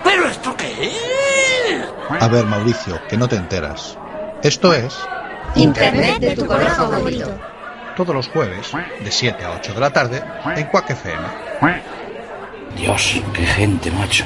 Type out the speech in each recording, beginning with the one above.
¿Pero esto qué es? A ver, Mauricio, que no te enteras. Esto es... Internet de tu color favorito. Todos los jueves, de 7 a 8 de la tarde, en Quack FM. Dios, qué gente, macho.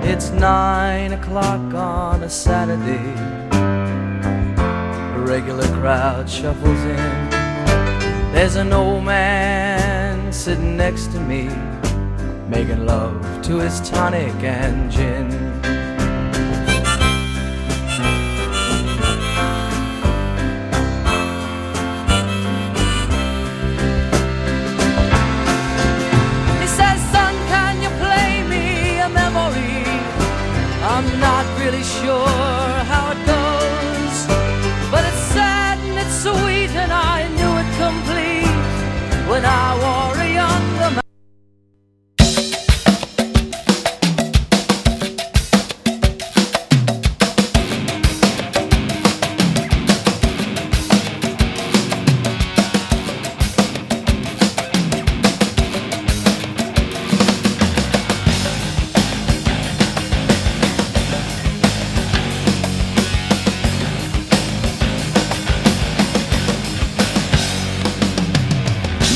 It's 9 o'clock on a Saturday. A regular crowd shuffles in. There's an old man sitting next to me, making love to his tonic and gin. He says, son, can you play me a memory? I'm not really sure how it goes, but it's sad and it's sweet, and I knew it complete when I wore a younger man.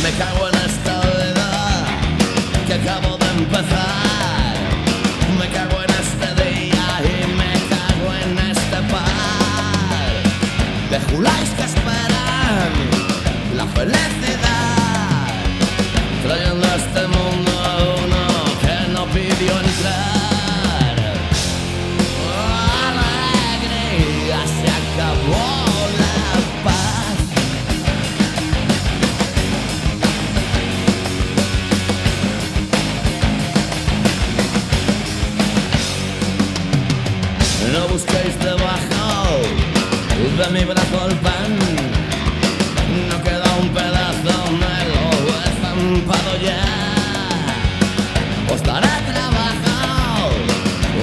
Me cago en esta vida que acabo de empezar. Me cago en este día y me cago en este par de juláis que esperan la felicidad, trayendo a este mundo a uno que no pidió entrar. Alegría, se acabó la paz. No busquéis debajo de mi brazo el pan. No queda un pedazo, me lo he estampado ya. Os daré trabajo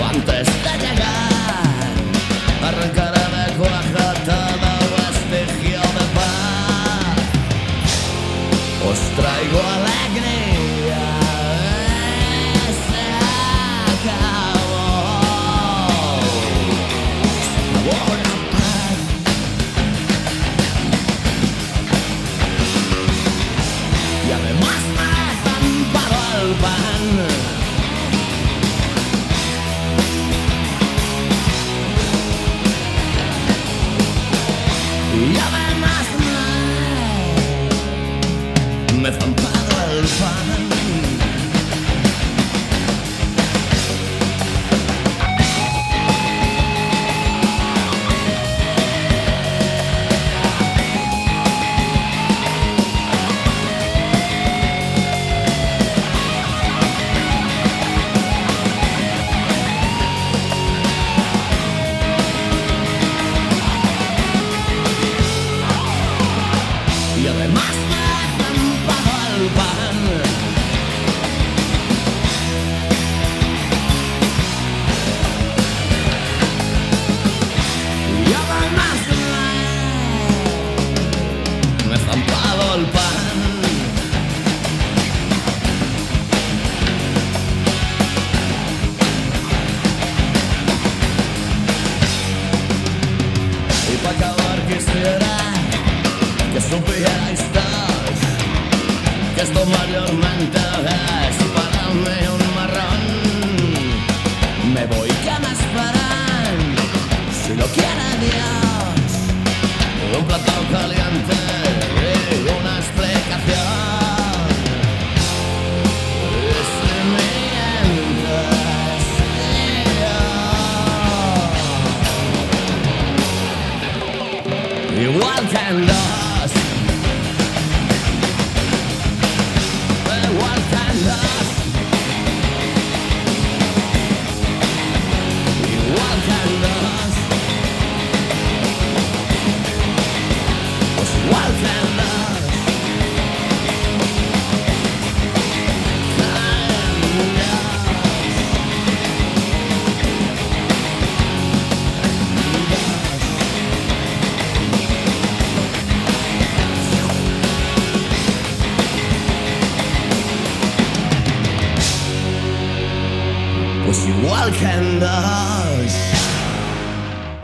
antes de llegar. Arrancaré de cuaja todo vestigio de paz. Os traigo alegría. Se acabó. Y además me he estampado el pan. Y además me he estampado el pan. Y además me he estampado el pan. Y además me he estampado el pan. Y para acabar quisiera que supierais todos que esto mayormente es para mí un marrón. Me voy, que me esperan, si lo quiere Dios, un plato caliente y una explicación. Y si mientes, igual que en dos. quendas.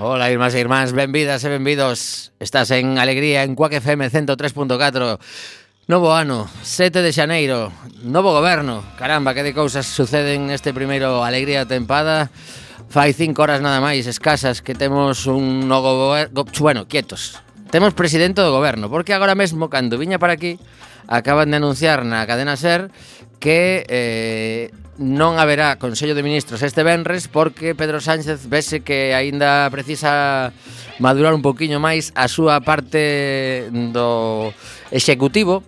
Hola, irmás e irmáns, benvidas e benvidos. Estás en Alegría en Quack FM 103.4. Novo ano, 7 de xaneiro, novo goberno. Caramba, que de cousas suceden neste primeiro Alegría tempada. Fai 5 horas nada máis escasas que temos un novo goberno. Bueno, quietos. Temos presidente do goberno, porque agora mesmo, cando viña para aquí, acaban de anunciar na cadena SER que non haberá Consello de Ministros este venres porque Pedro Sánchez vese que aínda precisa madurar un poquinho máis a súa parte do executivo.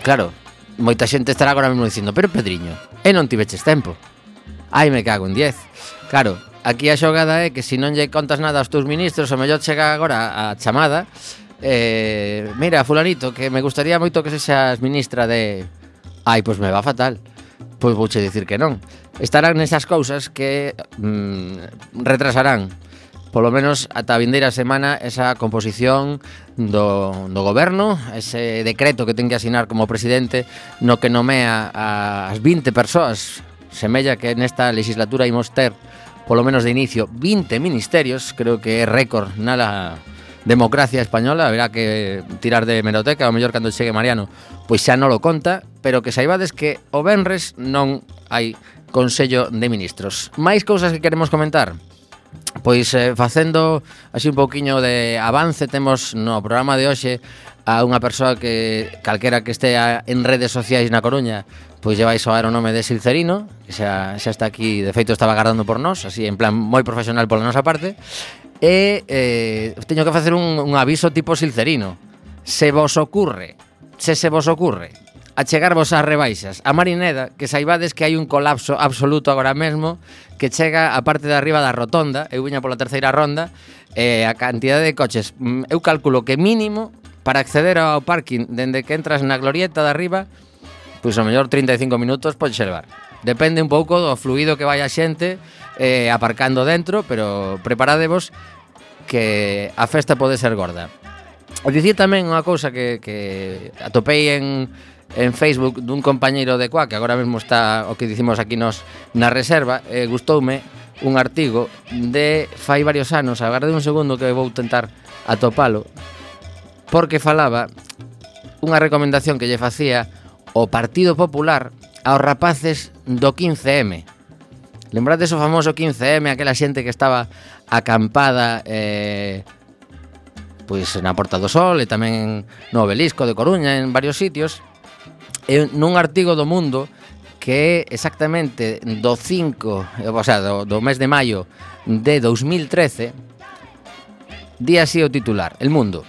Claro, moita xente estará agora mesmo dicindo: pero Pedriño, non tiveches tempo. Ai, me cago en 10. Claro, aquí a xogada é que se non lle contas nada aos teus ministros, o mellor chega agora a chamada. Mira, fulanito, que me gustaría moito que sexas ministra de... Ai, pois me va fatal. Pois vouche dicir que non. Estarán nesas cousas que retrasarán polo menos ata a vindeira semana esa composición do goberno, ese decreto que ten que asinar como presidente, no que nomea as 20 persoas. Semella que nesta legislatura imos ter, polo menos de inicio, 20 ministerios. Creo que é récord na democracia española. Haberá que tirar de hemeroteca, ao mellor cando chegue Mariano pois xa non lo conta, pero que saibades que o venres non hai Consello de Ministros. Máis cousas que queremos comentar. Pois facendo así un pouquiño de avance, temos no programa de hoxe a unha persoa que calquera que estea en redes sociais na Coruña pois lle vai soar o nome de Silcerino, que xa está aquí, de feito estaba agardando por nós, así en plan moi profesional pola nosa parte. E teño que facer un aviso tipo Silcerino. Se vos ocurre achegarvos ás rebaixas a Marineda, que saibades que hai un colapso absoluto agora mesmo, que chega a parte de arriba da rotonda. Eu viña pola terceira ronda, a cantidade de coches, eu calculo que mínimo para acceder ao parking dende que entras na glorieta de arriba, pois ao mellor 35 minutos pode levar. Depende un pouco do fluido que vai a xente aparcando dentro, pero preparadevos que a festa pode ser gorda. E dicir tamén unha cousa que atopei en Facebook dun compañeiro de Quack, que agora mesmo está o que dicimos aquí nos na reserva. Gustoume un artigo de fai varios anos, agarde un segundo que vou tentar atopalo, porque falaba unha recomendación que lle facía o Partido Popular aos rapaces do 15M. Lembrades o famoso 15M, aquela xente que estaba acampada pois na Porta do Sol e tamén no Obelisco de Coruña, en varios sitios. E nun artigo do Mundo que é exactamente do 5, o sea, do mes de maio de 2013, di así o titular: El Mundo.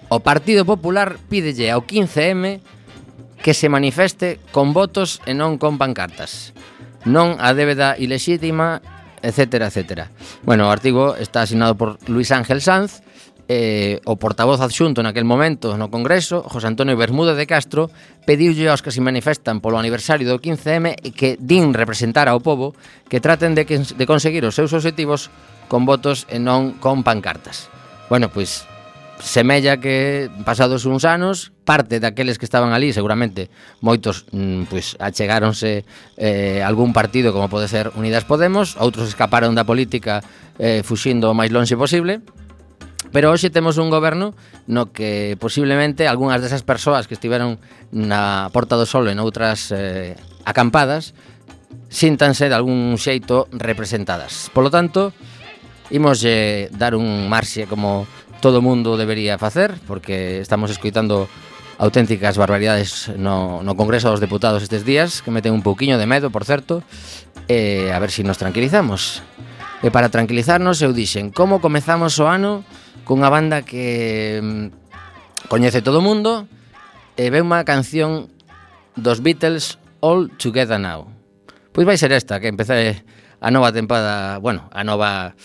O Partido Popular pídelle ao 15M que se manifeste con votos e non con pancartas. Non a débeda ilexítima, etcétera, etcétera. Bueno, o artigo está asinado por Luis Ángel Sanz, o portavoz adxunto naquel momento no Congreso, José Antonio Bermúdez de Castro, pediulle aos que se manifestan polo aniversario do 15M e que din representar ao pobo que traten de conseguir os seus obxectivos con votos e non con pancartas. Bueno, pois semella que pasados uns anos, parte daqueles que estaban ali, seguramente moitos pois achegáronse algún partido como pode ser Unidas Podemos, outros escaparon da política fuxindo o máis lonxe posible. Pero hoxe temos un goberno no que posiblemente algunhas desas persoas que estiveron na Porta do Sol en outras acampadas síntanse de algún xeito representadas. Polo tanto, imos dar un marxe como todo mundo debería facer, porque estamos escoitando auténticas barbaridades no Congreso dos Deputados estes días, que meten un pouquiño de medo, por certo, a ver se nos tranquilizamos. E para tranquilizarnos, eu dixen, como comezamos o ano cunha banda que coñece todo o mundo e ve unha canción dos Beatles, All Together Now. Pois vai ser esta, que empecé a nova tempada, bueno, a nova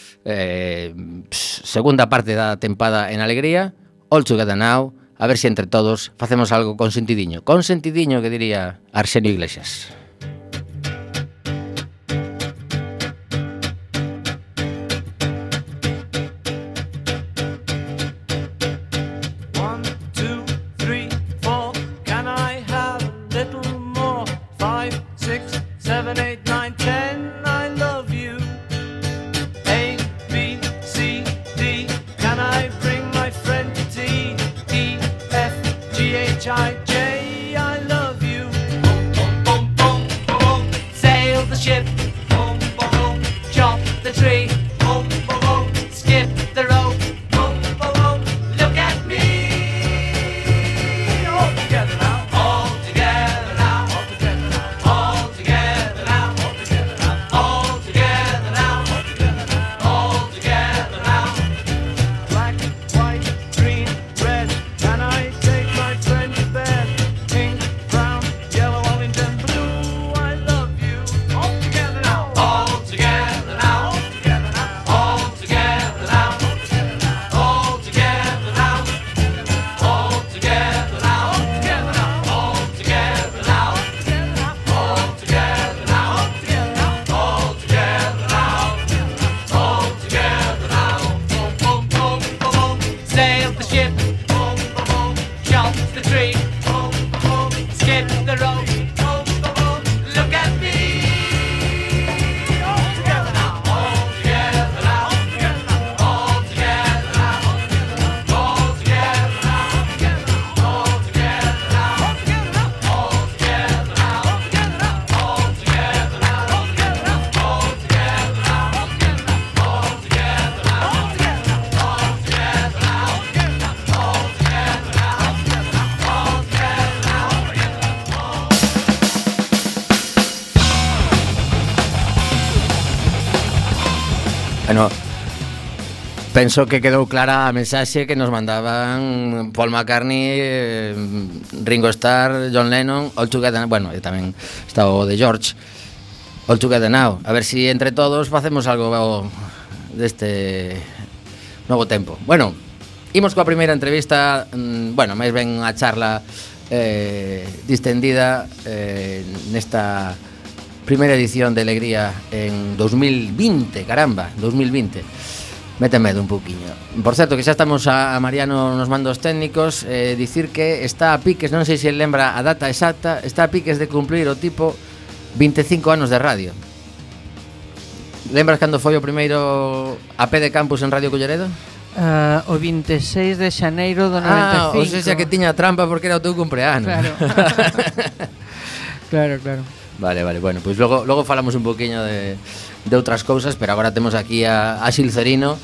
segunda parte da tempada en Alegría, All Together Now, a ver se entre todos facemos algo con sentidiño que diría Arsenio Iglesias. Can I have a little more? 5, 6, 7, 8 Penso que quedou clara a mensaxe que nos mandaban Paul McCartney, Ringo Starr, John Lennon, All Together, bueno, e tamén está o de George, All Together Now. A ver si entre todos facemos algo deste novo tempo. Bueno, imos coa primeira entrevista, bueno, máis ben a charla distendida nesta primeira edición de Alegría en 2020, caramba, 2020. Mete medo un pouquiño. Por certo, que xa estamos a Mariano nos mandos técnicos, dicir que está a piques, non sei se lembra a data exacta, está a piques de cumplir o tipo 25 anos de radio. Lembras cando foi o primeiro AP de campus en Radio Culleredo? O 26 de xaneiro do 95. O sea que tiña trampa porque era o teu cumpleanos. Claro. Claro. Vale, bueno, pois logo falamos un poquinho de outras cousas, pero agora temos aquí a Xilcerino,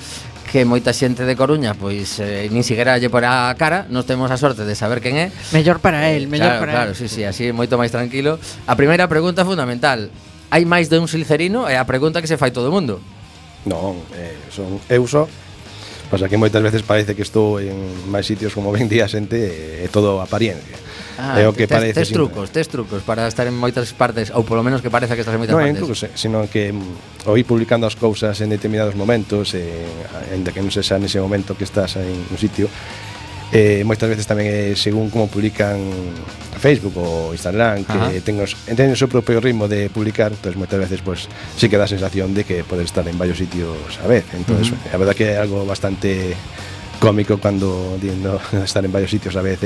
que moita xente de Coruña pois nin siquiera lle por a cara. Nos temos a sorte de saber quen é. Mellor para él, Claro, sí, así moito máis tranquilo. A primeira pregunta fundamental: hai máis de un Xilcerino? É a pregunta que se fai todo o mundo. Non, son eu só. Pasa que moitas veces parece que estou en máis sitios, como ben di a xente, é todo apariencia. É o que parece. Tes trucos para estar en moitas partes, ou polo menos que parece que estás en moitas partes. Non, incluso, sino que o ir publicando as cousas en determinados momentos, en que non se xa nese momento que estás en un sitio, moitas veces tamén é según como publican Facebook ou Instagram, que ten o seu propio ritmo de publicar, entonces moitas veces pues, sí que dá a sensación de que podes estar en varios sitios a vez. Entonces, a verdad que é algo bastante cómico cando dindo estar en varios sitios a vez,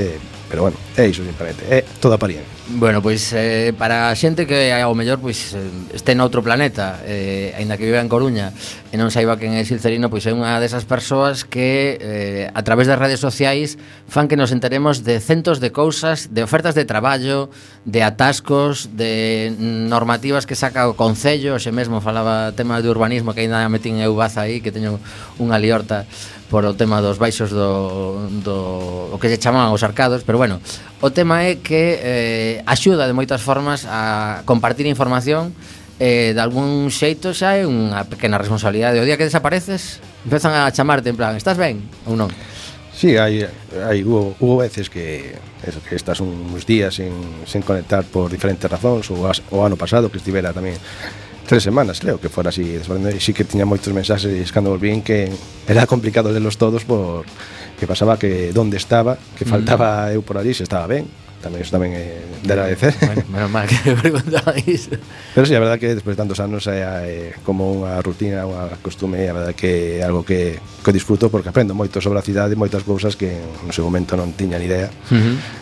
pero bueno, é iso simplemente, é toda apariencia. Bueno, pois para a xente que ao mellor pois este noutro planeta, aínda que viva en Coruña e non saiba quen é Xilcerino, pois é unha desas persoas que a través das redes sociais fan que nos enteremos de centos de cousas, de ofertas de traballo, de atascos, de normativas que saca o Concello. Xe mesmo falaba tema de urbanismo, que aínda metín eu baza aí, que teño unha liorta por o tema dos baixos o que se chaman os arcados, pero bueno, o tema é que axuda de moitas formas a compartir información, de algún xeito xa é unha pequena responsabilidade. O día que desapareces, empezan a chamarte en plan, estás ben ou non? Sí, hubo veces que estás uns días sen conectar por diferentes razóns, o ano pasado que estivera tamén 3 semanas, creo que fora así, e sí que tiña moitos mensaxes cando volvín que era complicado lelos todos porque pasaba que onde estaba, que faltaba eu por ali, se estaba ben. Tamén iso tamén é de agradecer. Bueno, menos mal que me preguntaba iso. Pero sí, a verdade que despois de tantos anos é como unha rutina, unha costume, a verdade que é algo que disfruto porque aprendo moito sobre a cidade, moitas cousas que no seu momento non tiña ni idea.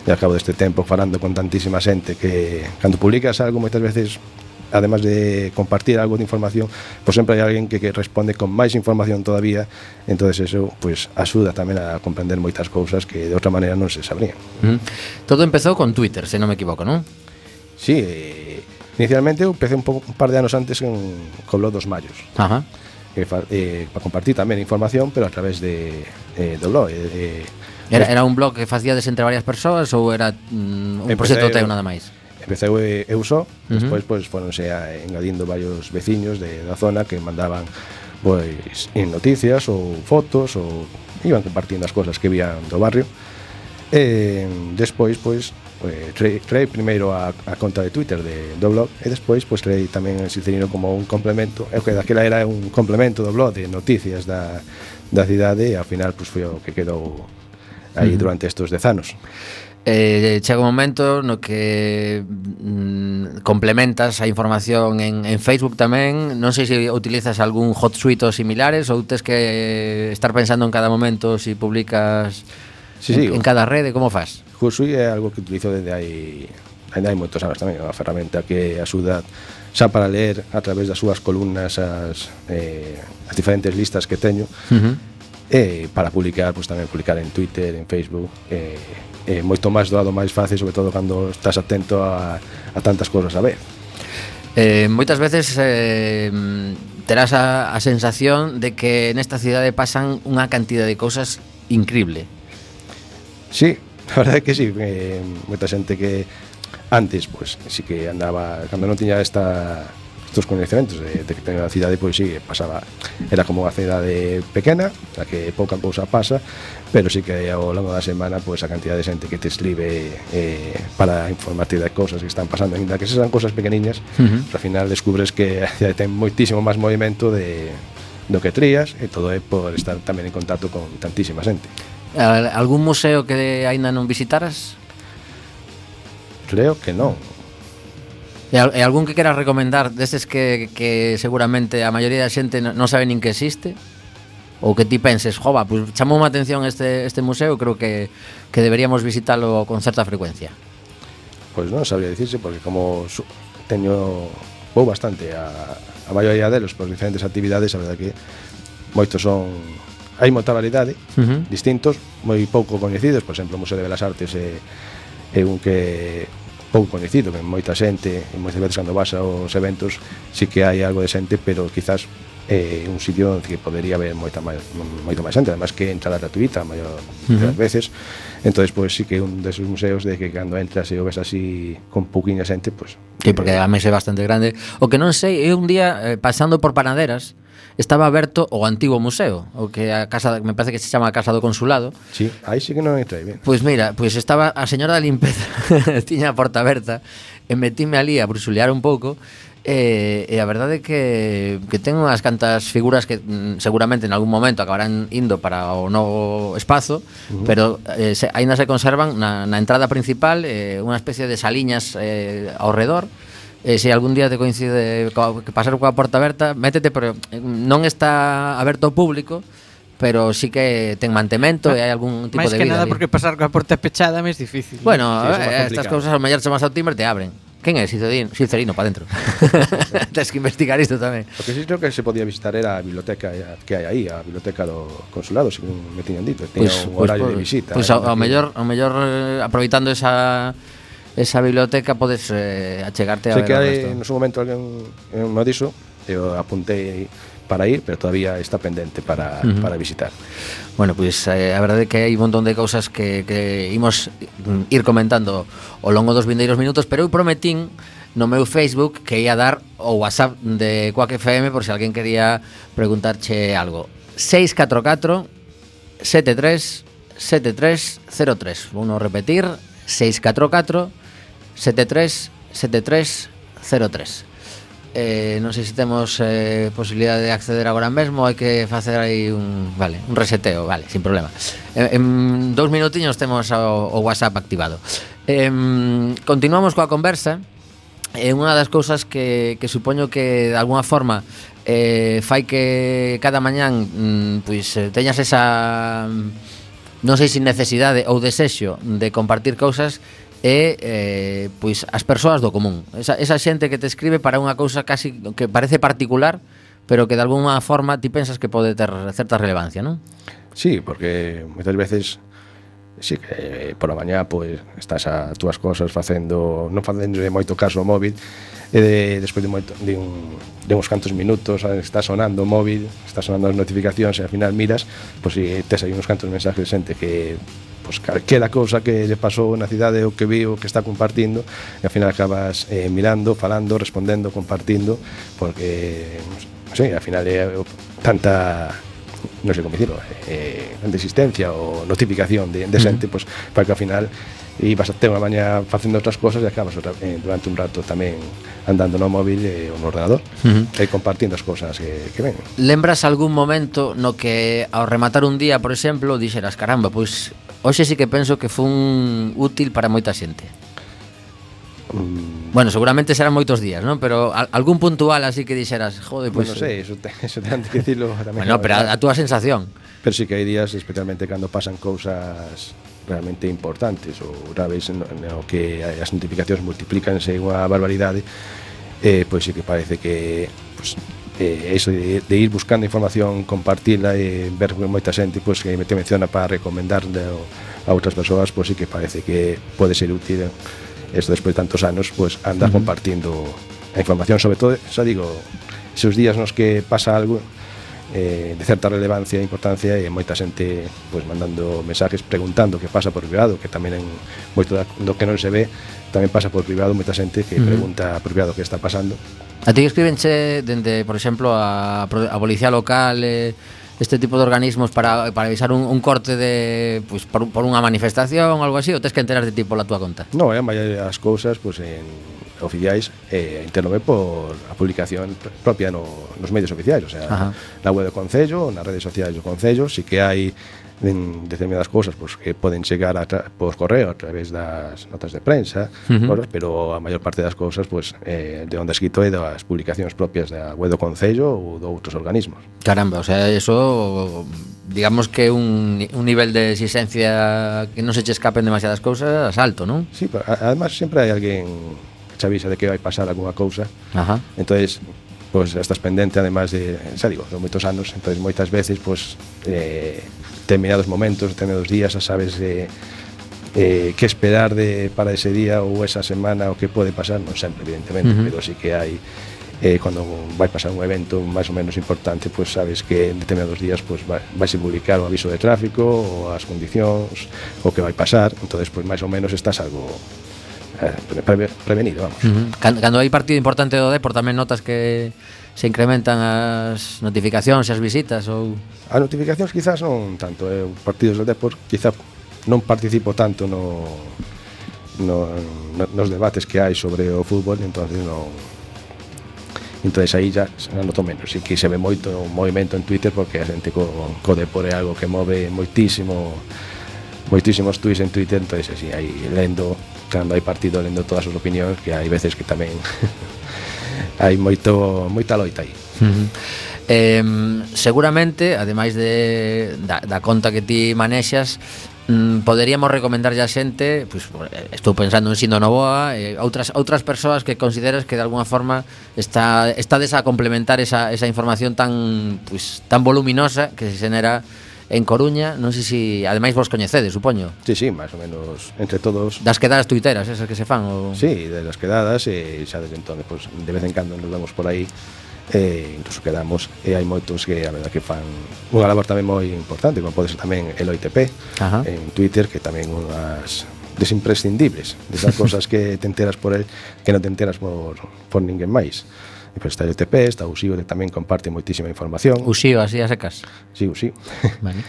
E ao cabo deste tempo falando con tantísima xente que cando publicas algo moitas veces, además de compartir algo de información, pues sempre hai alguén que responde con máis información todavía. Entonces eso pues axuda tamén a comprender moitas cousas que de outra maneira non se sabrían. Todo empezou con Twitter, se non me equivoco, non? Sí, inicialmente eu empecé un par de anos antes co blog dos Mallos. Para compartir tamén información, pero a través do blog. Era un blog que facíades entre varias persoas ou era un proxecto teu nada máis? Empecé eu só, despois pues, foronse engadindo varios veciños da zona que mandaban pois noticias ou fotos ou iban compartindo as cosas que vían do barrio. Despois pois creei primeiro a conta de Twitter do blog e despois pois creei tamén o Xilcerino como un complemento, que daquela era un complemento do blog de noticias da cidade e ao final pois foi o que quedou aí durante estes 10 anos. Chega un momento no que complementas a información en Facebook tamén. Non sei se utilizas algún Hotsuite ou similares ou tes que estar pensando en cada momento si publicas en cada rede, como faz? Hotsuite é algo que utilizo desde hai moitos anos tamén, é unha ferramenta que axuda xa para ler a través das súas columnas as diferentes listas que teño, e para publicar, pues tamén publicar en Twitter, en Facebook, moito máis doado, máis fácil, sobre todo cando estás atento a tantas cousas a vez. Moitas veces terás a sensación de que nesta cidade pasan unha cantidad de cousas increíble. Sí, a verdade é que sí, moita xente que antes, pues, sí que andaba, cando non tiña esta estos coñecementos de que ten a cidade, pois sí, pasaba, era como unha cidade pequena, a que pouca cousa pasa, pero sí que ao longo da semana pois a cantidad de xente que te escribe para informarte de cousas que están pasando, ainda que sean cousas pequeniñas, ao final descubres que ten moitísimo máis movimento do que trías, e todo é por estar tamén en contacto con tantísima xente. Algún museo que aínda non visitaras? Creo que non. E algún que queras recomendar destes que seguramente a maioría da xente non sabe nin que existe? Ou que ti penses, jova, pues chamou má atención este museo, creo que deberíamos visitalo con certa frecuencia? Pois non sabría dicirse, porque como vou bastante a maioría delos por diferentes actividades, a verdade que moitos hai moita variedade, distintos, moi pouco coñecidos. Por exemplo, o Museo de Belas Artes é un que pouco coñecido, que moita xente, e moitas veces cando vas aos eventos sí que hai algo de xente, pero quizás é un sitio onde que podería haber moita máis xente, además que entrada gratuita a maior das veces. Entonces, pois sí que é un desos museos de que cando entras e o ves así con pouquiña xente, pois sí, porque a mesa é bastante grande. O que non sei, eu un día pasando por Panaderas estaba aberto o antigo museo, o que a casa, me parece que se chama a Casa do Consulado. Sí, aí sí que non entrei ben. Pois mira, pois estaba a señora da limpeza tiña a porta aberta e metíme ali a bruxulear un pouco. E a verdade é que ten unhas cantas figuras que seguramente en algún momento acabarán indo para o novo espazo, pero aínda se conservan na entrada principal, unha especie de saliñas ao redor. Se algún día te coincide que pasar coa porta aberta, métete, pero non está aberto ao público, pero sí que ten mantemento e hai algún tipo de vida. Máis que nada ali, porque pasar coa porta pechada é máis difícil. Bueno, sí, estas cousas ao mellor chamas ao timbre e te abren. Quen é? Silcerino, para dentro. Tens que investigar isto tamén. O que sí creo que se podía visitar era a biblioteca que hai aí, a biblioteca do Consulado, según me tiñan dito. Tiña un horario de visita. Pois ao mellor aproveitando esa biblioteca podes achegarte a ver. Sei que hai no seu momento alguén me dixo, eu apuntei para ir, pero todavía está pendente para visitar. Bueno, pois a verdade é que hai un montón de cousas que imos ir comentando ao longo dos vindeiros minutos, pero eu prometín no meu Facebook que ia dar o WhatsApp de Quack FM por se alguén quería preguntarche algo. 644 73 7303. Vou repetir, 644 73 7303. Non sei se temos posibilidade de acceder agora mesmo, hai que facer aí un reseteo, sin problema. En 2 minutiños temos o WhatsApp activado. Continuamos coa conversa. Unha das cousas que supoño que de alguna forma fai que cada mañán pois teñas esa, non sei se necesidade ou desexo de compartir cousas, e pois as persoas do común, esa xente que te escribe para unha cousa casi que parece particular, pero que de alguna forma ti pensas que pode ter certa relevancia, non? Sí, porque moitas veces sí que por a mañá pois estás a túas cosas non facendo de moito caso ao móvil, e despois de uns cantos minutos está sonando o móvil, está sonando as notificacións e ao final miras, pois si tes aí uns cantos mensajes de xente que pois calquera cousa que lle pasou na cidade ou que viu, que está compartindo, e ao final acabas mirando, falando, respondendo, compartindo, porque non sei, ao final é tanta, non sei como dicirlo, tanta existencia ou notificación de xente, pois para que ao final ibas a ter unha mañá facendo outras cosas e acabas durante un rato tamén andando no móvil e no ordenador e compartindo as cosas que ven. Lembras algún momento no que ao rematar un día, por exemplo, dixeras, caramba, pois hoxe sí que penso que fun útil para moita xente? Bueno, seguramente serán moitos días, non? Pero algún puntual así que dixeras, jode, pois... Non sei, eso ten que dicirlo tamén. Bueno, pero a túa sensación. Pero sí que hai días, especialmente cando pasan cousas realmente importantes ou graves no que as notificacións multiplícanse unha barbaridade, pois sí que parece que eso de ir buscando información, compartila e ver moita xente pois que te menciona para recomendarle a outras persoas, pois sí que parece que pode ser útil eso despois de tantos anos, pois andar compartindo a información, sobre todo, xa digo, esos días nos que pasa algo de certa relevancia e importancia, e moita xente pois mandando mensajes preguntando que pasa por privado, que tamén en moito do que non se ve tamén pasa por privado, moita xente que pregunta por privado que está pasando. A ti escribenche dende, por exemplo, a policía local, este tipo de organismos para avisar un corte de pues, por unha manifestación ou algo así, ou tes que enterarte ti pola túa conta? No, a maioría das cousas pues, oficiais entérome por a publicación propia nos medios oficiais, o sea, na web do Concello, nas redes sociais do Concello, si que hai determinadas cousas pues, que poden chegar por correo a través das notas de prensa, cosas, pero a maior parte das cousas pues, de onde escrito é das publicacións propias da web do Concello ou de outros organismos. Caramba, o sea, eso digamos que un nivel de exigencia que non se che escapen demasiadas cousas alto, non? Sí, pero además sempre hai alguén que che avisa de que vai pasar algunha cousa. Entonces pues estás pendente, además de, xa digo, de moitos anos, entonces moitas veces pues determinados momentos, determinados días, xa sabes que esperar para ese día ou esa semana o que pode pasar, non sempre, evidentemente, pero sí que hai cando vai pasar un evento máis ou menos importante, pues sabes que en determinados días pues vais a publicar o aviso de tráfico ou as condicións o que vai pasar, entonces pues máis ou menos estás algo prevenido, vamos. Cando hai partido importante do Depor tamén notas que se incrementan as notificacións e as visitas ou... As notificacións quizás non tanto, partidos do Depor quizá non participo tanto nos debates que hai sobre o fútbol, entonces aí já noto menos, e que se ve moito movimento en Twitter porque a xente co Depor é algo que move moitísimos tweets en Twitter, entonces así, aí lendo, cando hai partido, lendo todas as opinións, que hai veces que tamén hai moita loita aí. Seguramente, ademais da conta que ti manexas, poderíamos recomendarlle a xente, pues, estou pensando en Sindo Novoa, outras persoas que consideras que de alguna forma estades a complementar esa información tan voluminosa que se xenera en Coruña. Non sei se ademais vos coñecedes, supoño. Sí, máis ou menos entre todos. Das quedadas tuiteras, esas que se fan ou... Sí, de las quedadas, e xa desde entón, pues, de vez en cando nos vemos por aí, incluso quedamos, e hai moitos que a verdad que fan unha labor tamén moi importante, como pode ser tamén el OITP en Twitter, que tamén unhas desimprescindibles desas cosas que te enteras por el que non te enteras por ninguén máis. E pues está el OITP, está Uxío, que tamén comparte moitísima información. Uxío, así a secas. Sí, Uxío. Vale.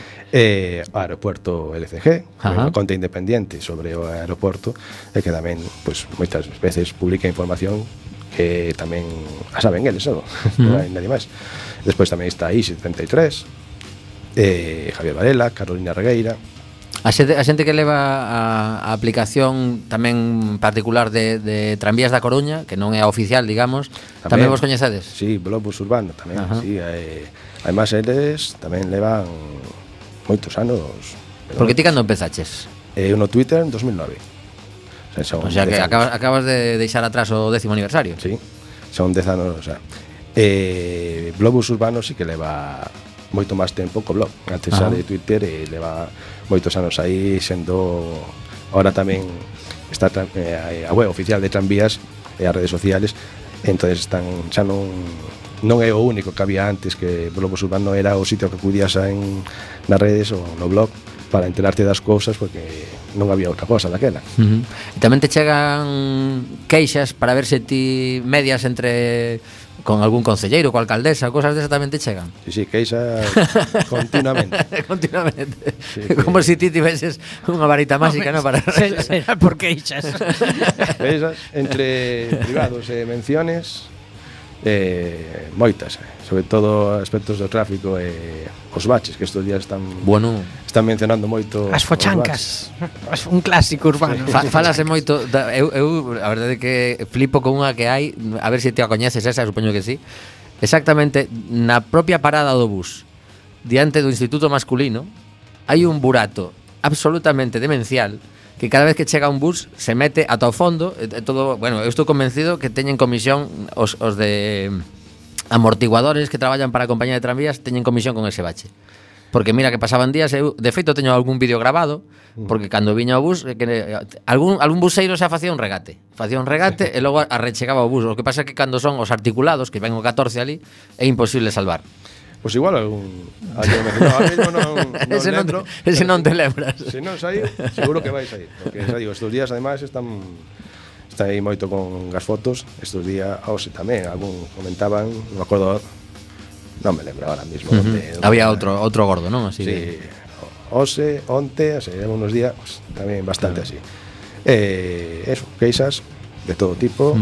Aeropuerto LCG, unha conta independiente sobre o aeroporto, e que tamén pues, moitas veces publica información que tamén a saben eles, non hai nadie máis. Despois tamén está ISI33, Javier Varela, Carolina Regueira. A xente que leva a aplicación tamén particular de Tranvías da Coruña, que non é a oficial, digamos, tamén vos coñecedes? Sí, Globus Urbano tamén, sí. Además, eles tamén levan moitos anos. Porque ti cando empezaches? Eu no Twitter en 2009. O sea que acabas de deixar atrás o 10º aniversario. Sí, son 10 anos, o sea. Globus Urbano sí que leva moito máis tempo co blog. Antes xa de Twitter leva moitos anos aí, sendo ahora tamén está a web oficial de Tranvías e as redes sociales, entonces están xa non é o único que había antes, que Globus Urbano era o sitio que acudías nas redes ou no blog para enterarte das cousas, porque non había outra cosa daquela. E tamén te chegan queixas para ver se ti medias entre con algún concelleiro, coa alcaldesa, cosas desas tamén te chegan? Sí, queixas continuamente. Continuamente. Sí, como se ti tiveses unha varita máxica, non? Para será por queixas. Queixas entre privados e menciones, moitas, sobre todo aspectos do tráfico e os baches, que estes días están mencionando moito as fochancas, un clásico urbano. Falase moito eu a verdade é que flipo con unha que hai, a ver se te a coñeces esa, supoño que sí. Exactamente na propia parada do bus, diante do Instituto Masculino, hai un burato absolutamente demencial, que cada vez que chega un bus se mete ata o fondo, todo, bueno, eu estou convencido que teñen comisión os de amortiguadores que traballan para a compañía de tranvías, teñen comisión con ese bache. Porque mira que pasaban días, eu de feito teño algún vídeo grabado, porque cando viña o bus, algún buseiro xa facía un regate e logo arrechegaba o bus. O que pasa é que cando son os articulados, que ven o 14 ali, é imposible salvar. Pois igual algún ahora mismo non lembro. Ese non te lembras. Se non saí, seguro que vai sair, porque xa digo, estes días ademais está aí moito con as fotos, estes días hoxe tamén algún comentaban, non me acordo, non me lembro ahora mismo. Había outro gordo, non? Así sí, hoxe, onte, o sea, unos días pues, tamén bastante así. Eso, queixas de todo tipo,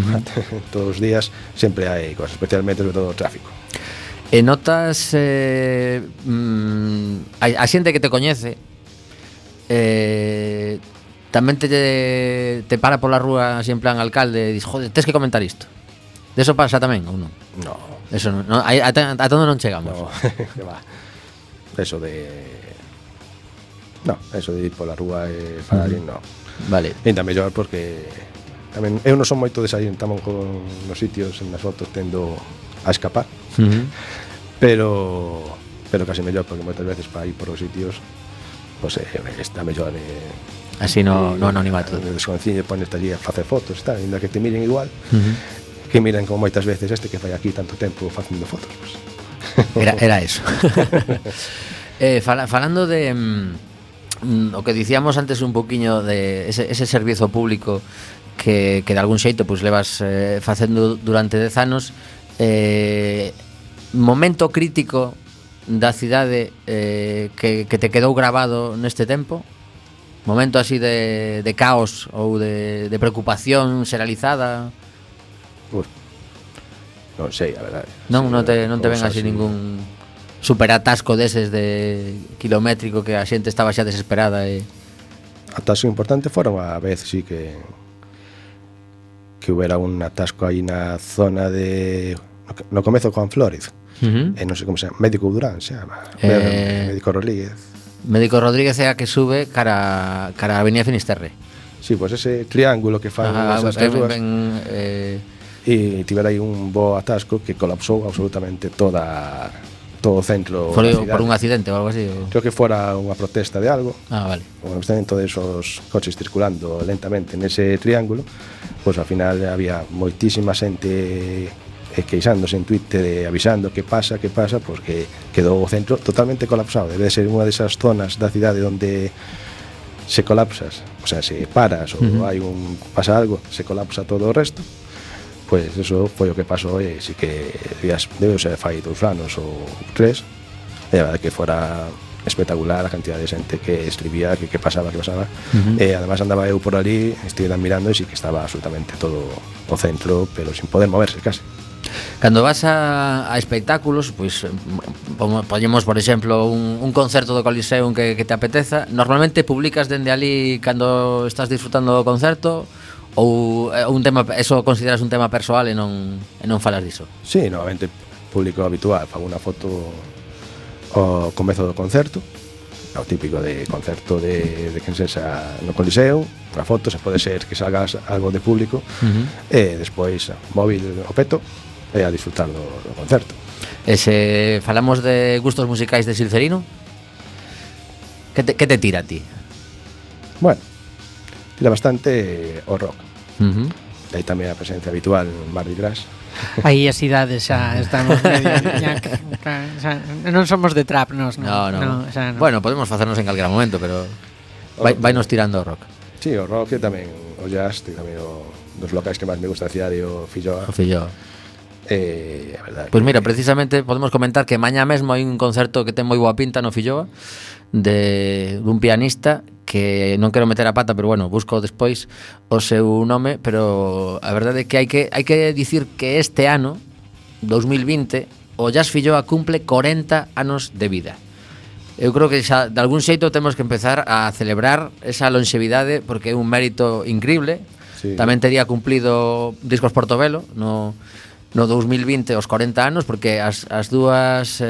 todos os días sempre hai cosas, especialmente sobre todo o tráfico. E notas a xente que te coñece tamén te para pola rúa así en plan alcalde e dis, joder, tens que comentar isto. De eso pasa tamén ou non? No. Eso non, ata onde non chegamos. No, que va. Eso de ir pola rúa e falar no. Vale. Ainda mellor porque tamén eu non son moito de sair tamén con nos sitios en as fotos tendo a escapar. Pero casi mellor porque moitas veces para ir por os sitios pues está mellor así no anonimato. Desconciñe pones allí a facer fotos, está, ainda que te miren igual. Que miren como moitas veces este que fai aquí tanto tempo facendo fotos, pues. Era eso. Falando de o que dicíamos antes un poquiño de ese servizo público que de algún xeito pues levas facendo durante 10 anos, momento crítico da cidade que te quedou grabado neste tempo? Momento así de caos ou de preocupación xeralizada? Non sei, a verdade. Non te ven así ningún superatasco deses de kilométrico que a xente estaba xa desesperada e... Atasco importante fora unha vez sí que hubiera un atasco aí na zona de no comezo con Flórez. Non sei como se chama, Médico Durán se chama, Médico Rodríguez. Médico Rodríguez é a que sube cara a Avenida Finisterre. Sí, pois ese triángulo que fan esas tres rúas. E tivera aí un bo atasco que colapsou absolutamente todo o centro da cidade. Por un accidente ou algo así? Creo que fora unha protesta de algo. Vale. Bueno, estaban todos esos coches circulando lentamente nese triángulo, pois ao final había moitísima xente queixándose en Twitter avisando que pasa, porque quedou o centro totalmente colapsado. Debe ser unha desas zonas da cidade onde se colapsas, o sea, se paras ou pasa algo, se colapsa todo o resto. Pois eso foi o que pasou e si que debeu ser fai 2 anos ou 3, e a verdade que fora espectacular a cantidad de xente que escribía que pasaba. E además andaba eu por ali, estive mirando e si que estaba absolutamente todo o centro, pero sin poder moverse casi. Cando vas a espectáculos, pois poñemos, por exemplo, un concerto do Coliseum que te apeteza, normalmente publicas dende ali cando estás disfrutando do concerto ou un tema, eso consideras un tema persoal e non falas diso? Sí, normalmente público habitual, fago unha foto ao comezo do concerto, o típico de concerto de quen sexa no Coliseo, unha foto, se pode ser que salgas algo de público, e despois móvil o peto e a disfrutar do concerto. E se falamos de gustos musicais de Silcerino, que te tira a ti? Bueno, tira bastante o rock. Aí tamén a presencia habitual en Mardi Gras. Aí as idades xa estamos medio non somos de trap, No. No. Bueno, podemos facernos en calquera momento, pero vai nos tirando o rock. Sí, o rock e tamén o jazz, tamén dos locais que máis me gusta da cidade, o Filloa. A verdade. Pois mira, precisamente podemos comentar que mañá mesmo hai un concerto que ten moi boa pinta no Filloa dun pianista que non quero meter a pata, pero bueno, busco despois o seu nome, pero a verdade é que hai que dicir que este ano 2020 o Jazz Filloa cumple 40 anos de vida. Eu creo que xa de algún xeito temos que empezar a celebrar esa longevidade porque é un mérito increíble. Sí. Tamén tería cumplido Discos Portobelo no 2020 os 40 anos, porque as dúas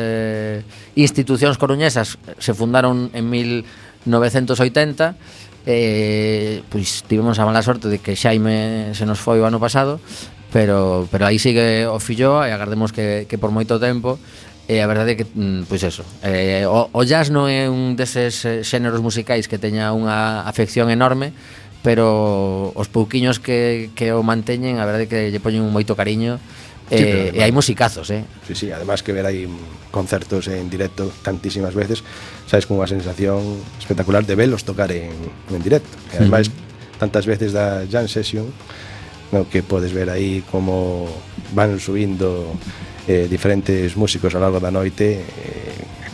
institucións coruñesas se fundaron en 1980. Pois tivemos a mala sorte de que Xaime se nos foi o ano pasado, pero aí sigue o Filloa e agardemos que por moito tempo. E a verdade é que, pois eso, o jazz non é un deses xéneros musicais que teña unha afección enorme, pero os pouquiños que o manteñen, a verdade é que lle poñen moito cariño, pero e hai musicazos, Sí, sí, además que ver aí concertos en directo tantísimas veces, sabes, con unha sensación espectacular de verlos tocar en directo. E ademais, tantas veces da jam session, no, que podes ver aí como van subindo diferentes músicos ao largo da noite,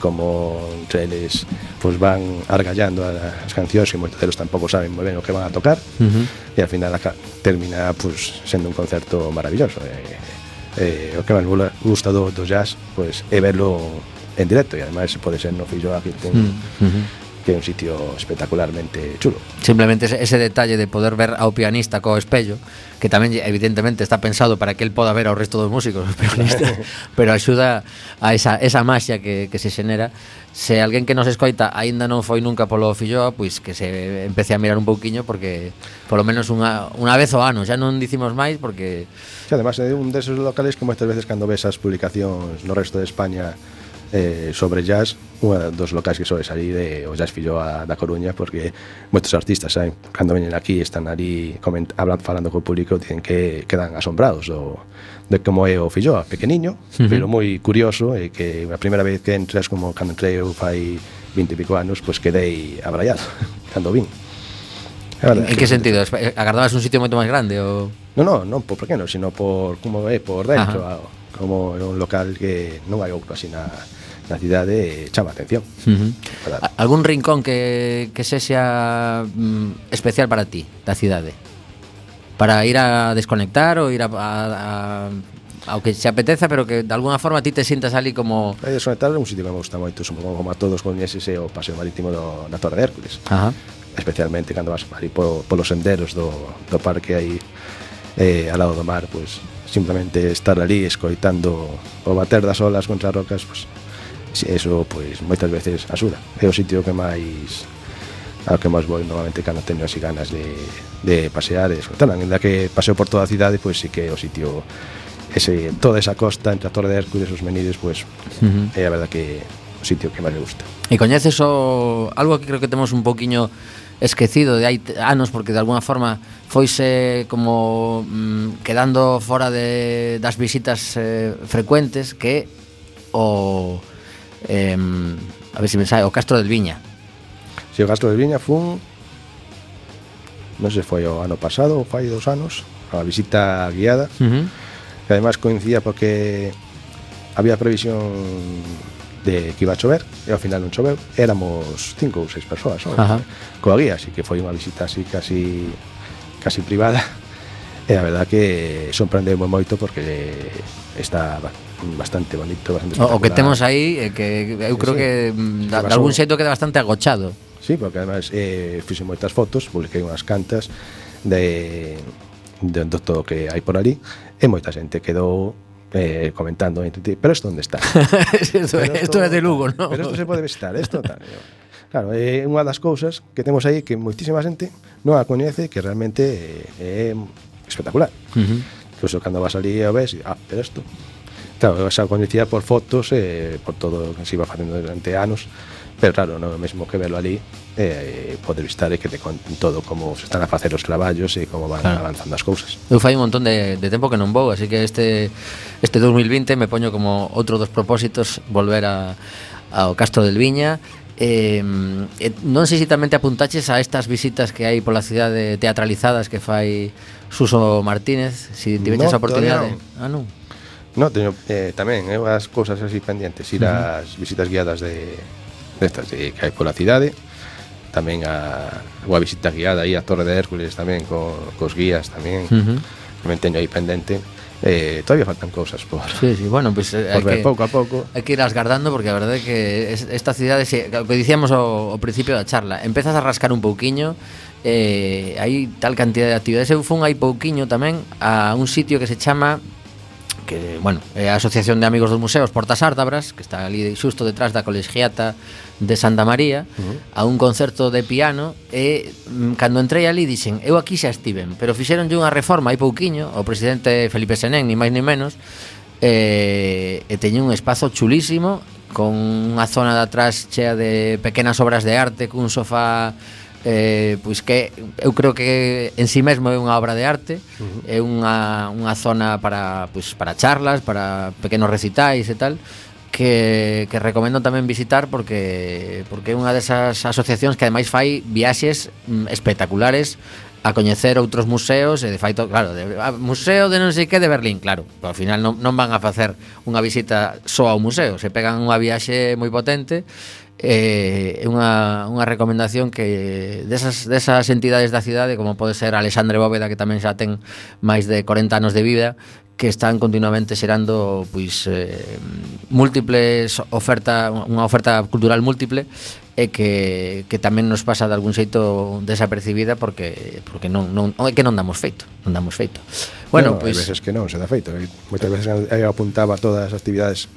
como entre eles pues van argallando as cancións que moitos deles tampouco saben moi ben o que van a tocar, e ao final termina pues sendo un concerto maravilloso. O que máis gusta do jazz pues é verlo en directo, e ademais pode ser no Filloa, que é un sitio espectacularmente chulo. Simplemente ese detalle de poder ver ao pianista co espello, que tamén evidentemente está pensado para que el poda ver ao resto dos músicos, os pianistas, pero axuda a esa maxia que se xenera. Se alguén que nos escoita aínda non foi nunca polo Filloa, pois que se empece a mirar un pouquiño, porque polo menos unha vez ao ano, xa non dicimos máis, porque sí, además é un deses locales que moitas veces cando ves as publicacións no resto de España sobre jazz, unha dos locais que sobe salir é o Jazz Filloa da Coruña, porque moitos artistas, saben, cando veñen aquí están ali falando co público, dicen que quedan asombrados de como é o Filloa, pequeniño, pero moi curioso, e que a primeira vez que entras, como cando entrei eu fai 20 e pico anos, pois quedei abraiado cando vin. En que sentido? Agardabas un sitio moito máis grande? Ou... Non por pequeno, sino por como é por dentro, como é un local que non hai outro así na cidade, chama a atención. Algún rincón que sexa especial para ti da cidade? Para ir a desconectar ou ir ao que se apeteza, pero que de alguna forma ti te sintas ali como... Desconectar é un sitio que me gusta moito, como a todos coñeces, é o paseo marítimo da Torre de Hércules. Especialmente cando vas ali polos senderos do parque aí ao lado do mar, pues simplemente estar ali escoitando o bater das olas contra as rocas, pues eso pues moitas veces axuda. É o sitio que máis ao que máis vou normalmente cando teño así ganas de pasear e disfrutar. Ainda que paseo por toda a cidade, pues sí que é o sitio toda esa costa entre a Torre de Hércules e os Menires, pues é a verdad que o sitio que máis me gusta. E coñeces algo que creo que temos un poquiño esquecido de hai anos, porque de alguna forma foise como quedando fora das visitas frecuentes, que a ver se me sae, o Castro del Viña. Si, o Castro del Viña fun, non sei se foi o ano pasado ou fai 2 anos, a visita guiada, que además coincidía porque había previsión de que iba a chover, e ao final non choveu. Éramos 5 ou 6 persoas coa guía, así que foi unha visita así casi privada, e a verdad que sorprendeu moito porque está bastante bonito, bastante espectacular. O que temos aí que eu creo que de algún xeito queda bastante agochado. Sí, porque además fixe moitas fotos, publiquei unhas cantas de todo o que hai por ali, e moita xente quedou comentando, pero isto onde está? Isto é de Lugo, non? Pero isto se pode visitar, isto tal. Claro, é unha das cousas que temos aí que moitísima xente non a coñece, que realmente é espectacular. Incluso cando vas ali e o ves, pero isto... Claro, xa coñecía por fotos e por todo o que se iba facendo durante anos, pero claro, non é o mesmo que verlo ali, poder visitar e que te conten todo como se están a facer os traballos e como van avanzando as cousas. Eu fai un montón de tempo que non vou, así que este 2020 me poño como outro dos propósitos volver ao Castro del Viña. Non sei se tamén te apuntaches a estas visitas que hai pola cidade teatralizadas que fai Suso Martínez, se tiveches a oportunidade. Non. No, teño tamén as cousas así pendientes, ir ás visitas guiadas destas que hai pola cidade, tamén a visita guiada aí a Torre de Hércules tamén cos guías tamén, tamén teño aí pendente. Todavía faltan cousas por bueno, pues por ver pouco a pouco. Hai que ir asgardando, porque a verdade é que esta cidade, o que dicíamos ao principio da charla, empezas a rascar un pouquiño, hai tal cantidad de actividades. Eu fun hai pouquiño tamén a un sitio que se chama, que, bueno, é a Asociación de Amigos dos Museos Portas Ártabras, que está ali xusto detrás da Colegiata de Santa María, a un concerto de piano, e cando entrei ali dixen, eu aquí xa estiven, pero fixeronlle unha reforma hai pouquiño, o presidente Felipe Senén, ni máis ni menos, e teño un espazo chulísimo, con unha zona de atrás chea de pequenas obras de arte, cun sofá pois que eu creo que en si mesmo é unha obra de arte, é unha zona para charlas, para pequenos recitais e tal, que recomendo tamén visitar porque é unha desas asociacións que ademais fai viaxes espectaculares a coñecer outros museos e de feito, claro, museo de non sei que de Berlín, claro, pero ao final non van a facer unha visita só ao museo, se pegan unha viaxe moi potente. É unha recomendación que desas entidades da cidade, como pode ser Alexandre Bóveda, que tamén xa ten máis de 40 anos de vida, que están continuamente xerando pois múltiples unha oferta cultural múltiple e que tamén nos pasa de algún xeito desapercibida porque non é que non damos feito. Bueno, pois hai veces que non se dá feito. Moitas veces eu apuntaba todas as actividades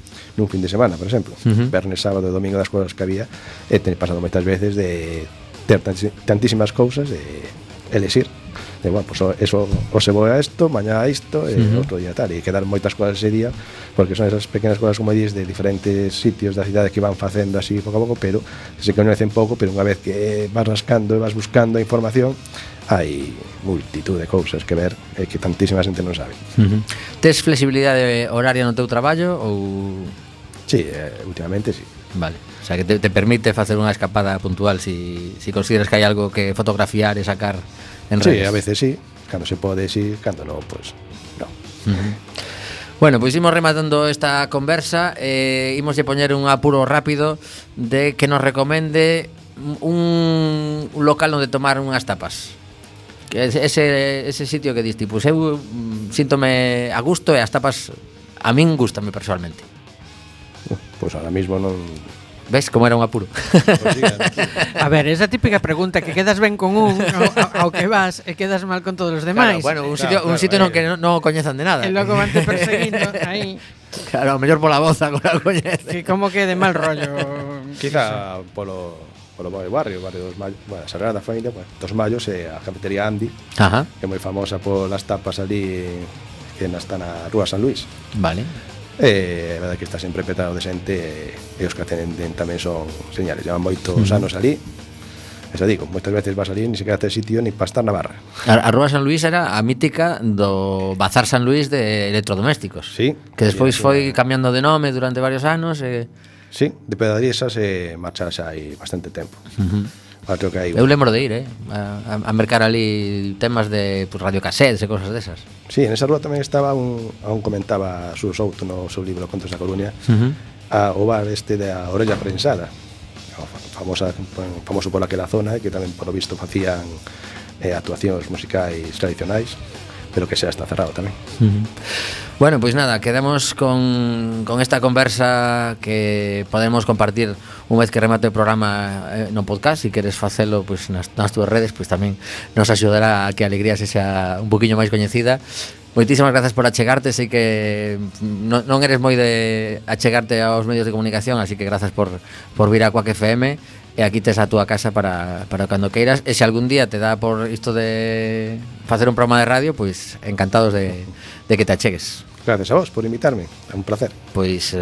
nun fin de semana, por exemplo, vernes, sábado e domingo das cousas que había, e ten pasado moitas veces de ter tantísimas cousas e elexir. E, bueno, pues eso o se voe a isto, mañá a isto e outro día tal, e quedar moitas cousas ese día porque son esas pequenas cousas, como dices, de diferentes sitios da cidade que van facendo así pouco a pouco, pero se coñecen pouco, pero unha vez que vas rascando e vas buscando a información, hai multitud de cousas que ver e que tantísima xente non sabe. Tes flexibilidade horaria no teu traballo ou...? Sí, últimamente sí. Vale, o sea que te permite facer unha escapada puntual si consideras que hai algo que fotografiar e sacar en redes. Sí, a veces sí, cando se pode sí, cando non, pues non. Bueno, pois imos rematando esta conversa, imos poñer un apuro rápido de que nos recomende un local onde tomar unhas tapas. Que ese sitio que diste, pois eu síntome a gusto e as tapas a min gústame personalmente. Pois ahora mismo non... Ves como era un apuro? A ver, esa típica pregunta que quedas ben con un ao que vas e quedas mal con todos os demais. Claro, bueno, un sitio no que non coñezan de nada. E logo van te perseguindo aí. Claro, mellor pola voz agora coñece. Que como que de mal rollo. Quizá polo barrio dos Mallos, bueno, Sagrada Familia, pues, dos Mallos e a cafetería Andy, que é moi famosa polas tapas ali que está na Rúa San Luis. Vale. A verdade que está sempre petado de xente e os que atenden tamén son señales, llevan moitos anos ali. Eso digo, moitas veces vas ali ni sequera tes sitio ni para estar na barra. A Rúa San Luis era a mítica do Bazar San Luis de electrodomésticos. Sí. Que despois foi cambiando de nome durante varios anos e... Sí, de pedadriesas e marchar xa hai bastante tempo. Creo que hai... Eu lembro de ir, a mercar ali temas de radiocassettes e cosas desas. Sí, en esa rúa tamén estaba aún comentaba Xur Souto no seu libro Contos da Coruña, o bar este da Orella Prensada, famoso por aquela zona, que tamén por lo visto facían actuacións musicais tradicionais, pero que xa está cerrado tamén. Bueno, pois nada, quedamos con esta conversa que podemos compartir unha vez que remate o programa no podcast. Se queres facelo pois nas túas redes, pois tamén nos axudará a que a alegría se xa un poquinho máis coñecida. Moitísimas grazas por achegarte. Sei que non eres moi de achegarte aos medios de comunicación, así que grazas por vir a Quack FM. E aquí tes a túa casa para cando queiras. E se algún día te dá por isto de facer un programa de radio, pois encantados de que te achegues. Gracias a vos por invitarme, é un placer. Pois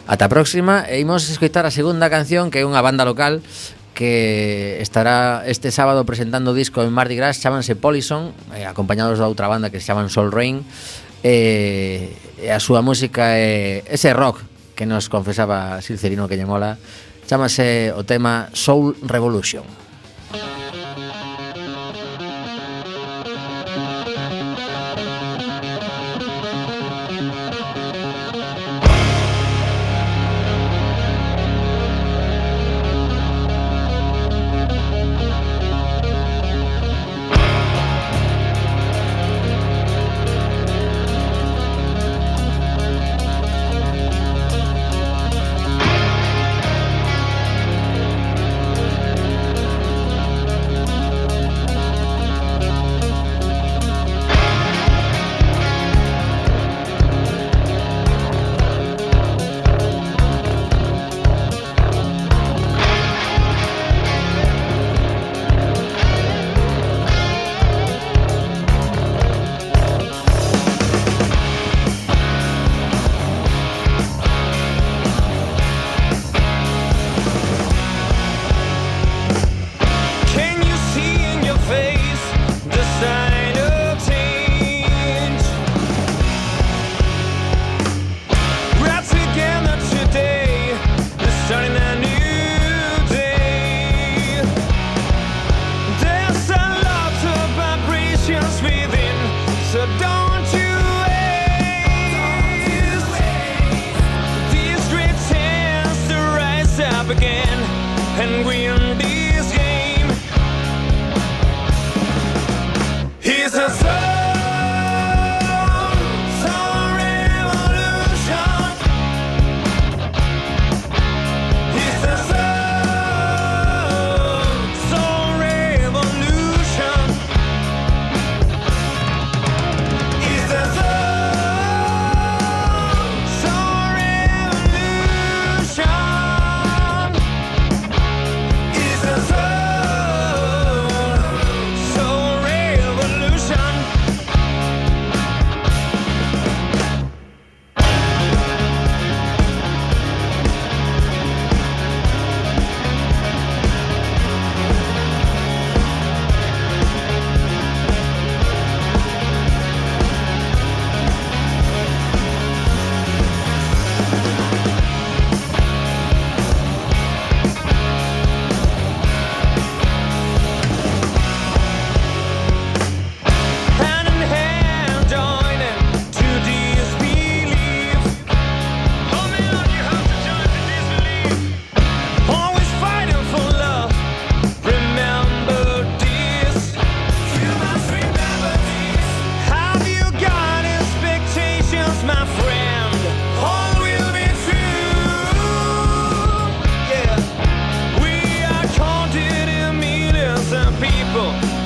ata a próxima. E imos escoitar a segunda canción, que é unha banda local que estará este sábado presentando disco en Mardi Gras, chámanse Polison, acompañados da outra banda que se chaman Soul Rain. E a súa música é ese rock que nos confesaba Silcerino que lle mola. Chámase o tema Soul Revolution.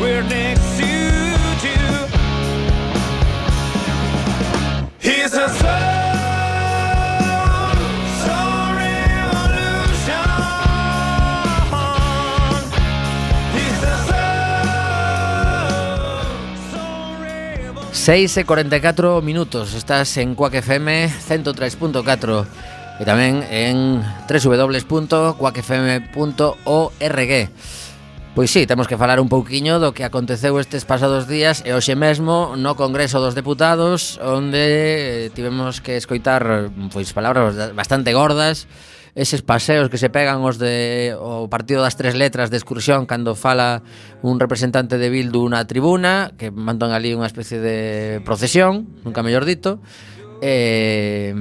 we're next to you. He's a soul revolution. He's a soul revolution. 6:44 estás en Quack FM 103.4 e tamén en www.quackfm.org. Pois sí, temos que falar un pouquiño do que aconteceu estes pasados días e hoxe mesmo no Congreso dos Deputados, onde tivemos que escoitar pois palabras bastante gordas, eses paseos que se pegan os de o partido das tres letras de excursión cando fala un representante de Bildu na tribuna, que mandan ali unha especie de procesión, nunca mellor dito, e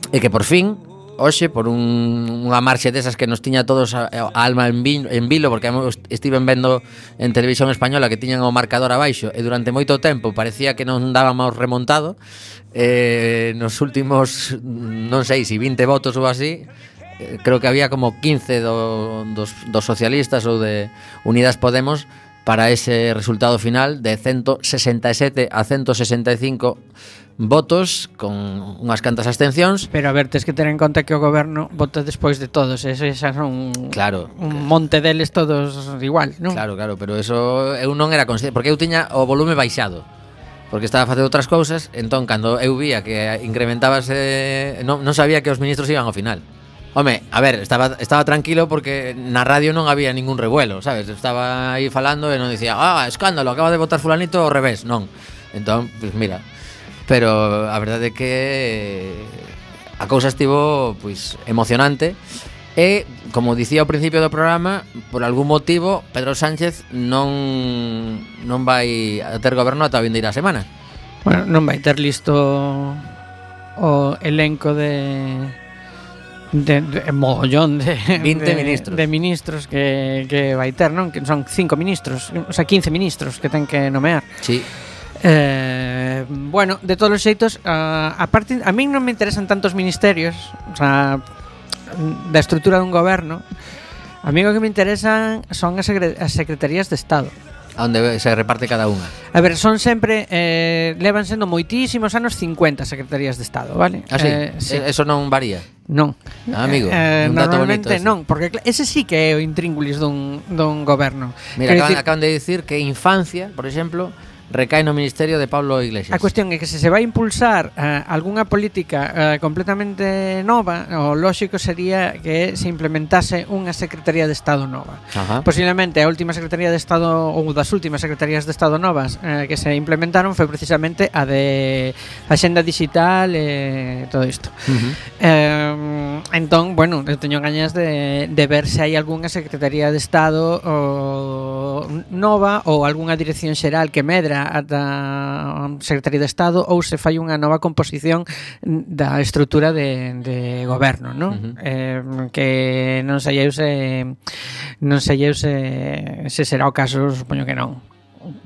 que por fin hoxe, por unha marxe desas que nos tiña todos a alma en vilo, porque estiven vendo en televisión española que tiñan o marcador abaixo e durante moito tempo parecía que non dábamos remontado, nos últimos, non sei se 20 votos ou así, creo que había como 15 dos socialistas ou de Unidas Podemos para ese resultado final de 167 a 165 votos con unhas cantas abstencións. Pero a ver, tes que ter en conta que o goberno vota despois de todos, esas son claro, un monte deles todos igual, non? Claro, pero eso eu non era consciente, porque eu tiña o volume baixado, porque estaba facendo outras cousas, entón cando eu vía que incrementábase, non sabía que os ministros iban ao final. Home, a ver, estaba tranquilo porque na radio non había ningún revuelo, sabes? Estaba aí falando e non dicía, escándalo, acaba de votar fulanito ao revés, non. Entón, pues mira, pero a verdade é que a cousa estivo pois emocionante e, como dicía ao principio do programa, por algún motivo Pedro Sánchez non vai a ter goberno ata a vindeira semana. Bueno, non vai ter listo o elenco de mogollón de 20 ministros. De ministros que vai ter, non? Que son 5 ministros, o sea, 15 ministros que ten que nomear. Sí. Bueno, de todos os xeitos, aparte, a min non me interesan tantos ministerios, o sea, da estrutura dun goberno. A mí o que me interesan son as secretarías de Estado, a onde se reparte cada unha. A ver, son sempre levan sendo moitísimos anos 50 secretarías de Estado, vale? Sí. Sí. Eso non varía. Non. Amigo, un dato bonito ese. Non, porque ese sí que é o intríngulis dun goberno. Mira, acaban de dicir que infancia, por exemplo, recae no Ministerio de Pablo Iglesias. A cuestión é que se vai impulsar algunha política completamente nova, o lóxico sería que se implementase unha Secretaría de Estado nova. Ajá. Posiblemente a última Secretaría de Estado, ou das últimas Secretarías de Estado novas que se implementaron foi precisamente a de Axenda Digital e todo isto. Entón, bueno, eu teño gañas de ver se hai algunha Secretaría de Estado nova ou algunha dirección xeral que medra ata Secretaría de Estado, ou se fai unha nova composición da estrutura de goberno, non? Que non sei eu se será o caso, supoño que non.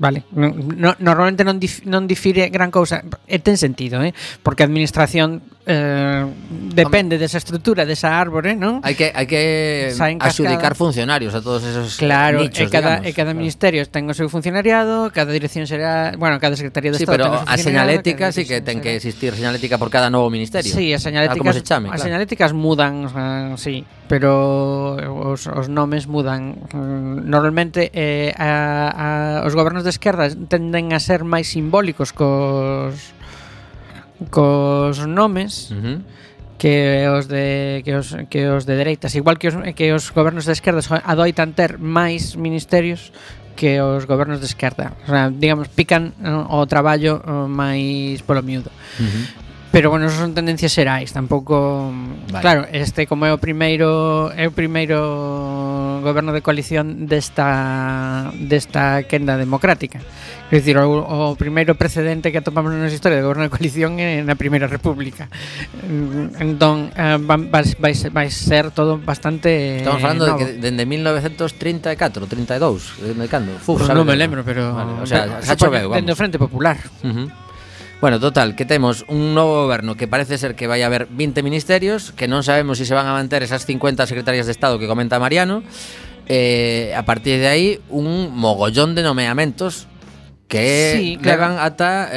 Vale, normalmente non difire gran cousa, e ten sentido, porque a administración depende desa estrutura, desa árbore, non? Hai que adxudicar funcionarios a todos esos nichos, e cada ministerio ten o seu funcionariado, cada dirección será, bueno, cada secretaría de Estado. Sí, pero a señalética sí que ten que existir señalética por cada novo ministerio. Sí, as señaléticas, as señaléticas mudan, o sea, sí, pero os nomes mudan. Normalmente os gobernos de esquerda tenden a ser máis simbólicos cos nomes que os de dereitas, igual que os gobernos de esquerda adoitan ter máis ministerios que os gobernos de esquerda, o sea, digamos, pican o traballo máis polo miúdo. Pero bueno, eso son tendencias xerais, tampouco, vale. Claro, como é o primeiro goberno de coalición desta quenda democrática. É dicir, o primeiro precedente que atopamos na nosa historia de goberno de coalición é na Primeira República. Entón, vai ser todo bastante Estamos falando novo. de que dende 1934, 32, de cando? Non me lembro, pero vale, o sea, xa choveu, vamos. Dende o Frente Popular. Bueno, total, que temos un novo goberno que parece ser que vai haber 20 ministerios, que non sabemos se van a manter esas 50 secretarías de Estado que comenta Mariano, a partir de aí un mogollón de nomeamentos que Sí, claro. levan ata